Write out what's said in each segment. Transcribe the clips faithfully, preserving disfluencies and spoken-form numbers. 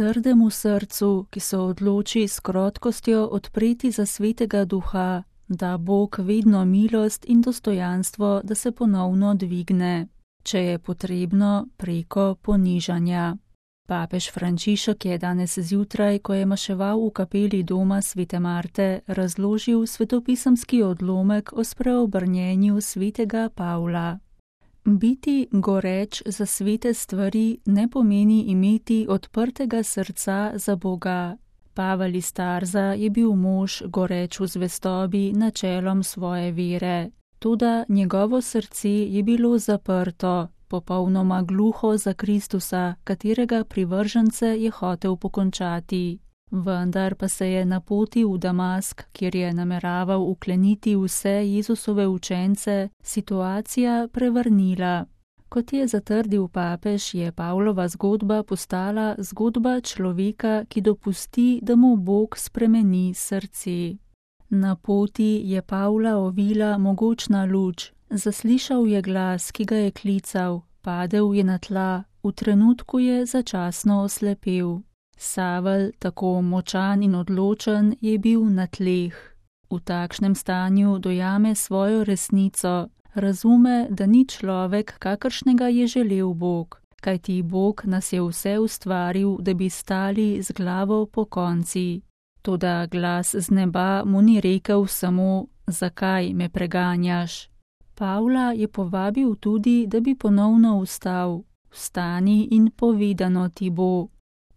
trdemu srcu, ki se odloči s krotkostjo odpreti za Svetega Duha, da Bog vedno milost in dostojanstvo, da se ponovno dvigne, če je potrebno preko ponižanja. Papež Frančišek je danes zjutraj, ko je maševal v kapeli doma Svete Marte, razložil svetopisemski odlomek o spreobrnjenju svetega Pavla. Biti goreč za svete stvari ne pomeni imeti odprtega srca za Boga. Pavel iz Tarza je bil mož goreč v zvestobi načelom svoje vere, toda njegovo srce je bilo zaprto, popolnoma gluho za Kristusa, katerega privržence je hotel pokončati. Vendar pa se je na poti v Damask, kjer je nameraval ukleniti vse Jezusove učence, situacija prevrnila. Kot je zatrdil papež, je Pavlova zgodba postala zgodba človeka, ki dopusti, da mu Bog spremeni srce. Na poti je Pavla ovila mogočna luč, zaslišal je glas, ki ga je klical, padel je na tla, v trenutku je začasno oslepel. Savel, tako močan in odločen, je bil na tleh. V takšnem stanju dojame svojo resnico, razume, da ni človek, kakršnega je želel Bog, kajti Bog nas je vse ustvaril, da bi stali z glavo pokonci. Toda glas z neba mu ni rekel samo, zakaj me preganjaš. Pavla je povabil tudi, da bi ponovno vstal. Vstani in povedano ti bo.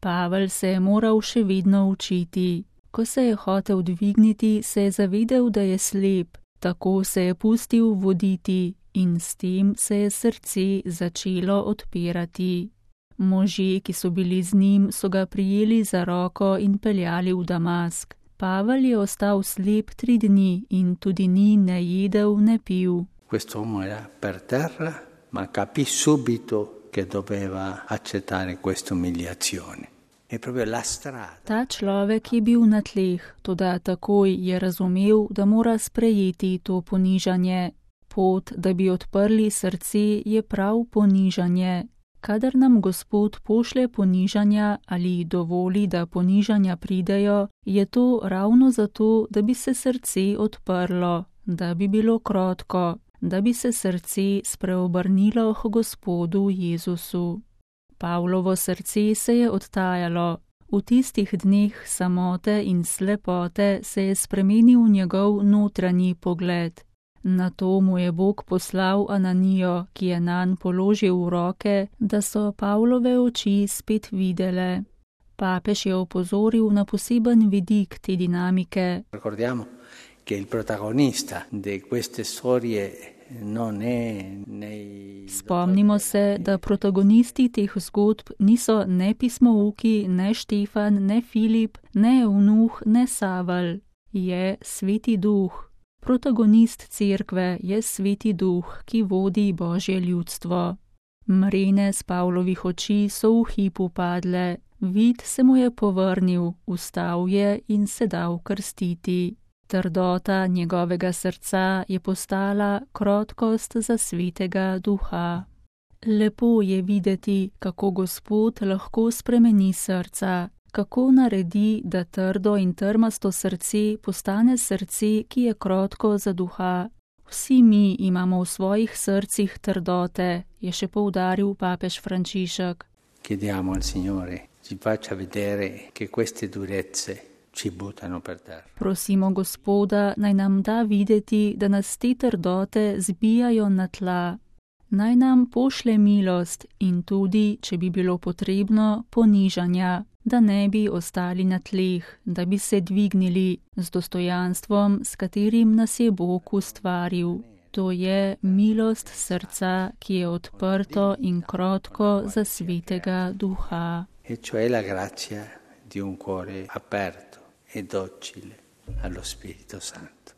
Pavel se je moral še vedno učiti. Ko se je hotel dvigniti, se je zavedel, da je slep, tako se je pustil voditi in s tem se je srce začelo odpirati. Možje, ki so bili z njim, so ga prijeli za roko in peljali v Damask. Pavel je ostal slep tri dni in tudi ni ne jedel, ne pil. Quest'uomo era per terra, ma capì subito che doveva accettare questa umiliazione. Ta človek je bil na tleh, toda takoj je razumel, da mora sprejeti to ponižanje. Pot, da bi odprli srce, je prav ponižanje. Kadar nam Gospod pošlje ponižanja ali dovoli, da ponižanja pridejo, je to ravno zato, da bi se srce odprlo, da bi bilo krotko, da bi se srce spreobrnilo k Gospodu Jezusu. Pavlovo srce se je odtajalo. V tistih dneh samote in slepote se je spremenil njegov notranji pogled. Nato mu je Bog poslal Ananijo, ki je nanj položil v roke, da so Pavlove oči spet videle. Papež je opozoril na poseben vidik te dinamike. Ricordiamo che il protagonista di queste storie non è nei... Spomnimo se, da protagonisti teh zgodb niso ne pismouki, ne Štefan, ne Filip, ne Eunuh, ne Savel. Je Sveti Duh. Protagonist cerkve je Sveti Duh, ki vodi Božje ljudstvo. Mrene z Pavlovih oči so v hipu padle, vid se mu je povrnil, vstal je in se dal krstiti. Trdota njegovega srca je postala krotkost za Svetega Duha. Lepo je videti, kako Gospod lahko spremeni srca, kako naredi, da trdo in trmasto srce postane srce, ki je krotko za Duha. Vsi mi imamo v svojih srcih trdote, je še poudaril papež Frančišek. Chiediamo al Signore, ci faccia vedere che queste durezze ci buttano per terra. Prosimo Gospoda, naj nam da videti, da nas te trdote zbijajo na tla. Naj nam pošle milost in tudi, če bi bilo potrebno, ponižanja, da ne bi ostali na tleh, da bi se dvignili z dostojanstvom, s katerim nas je Bog ustvaril. To je milost srca, ki je odprto in krotko za Svetega Duha. E cioè la grazia di un cuore aperto e docile allo Spirito Santo.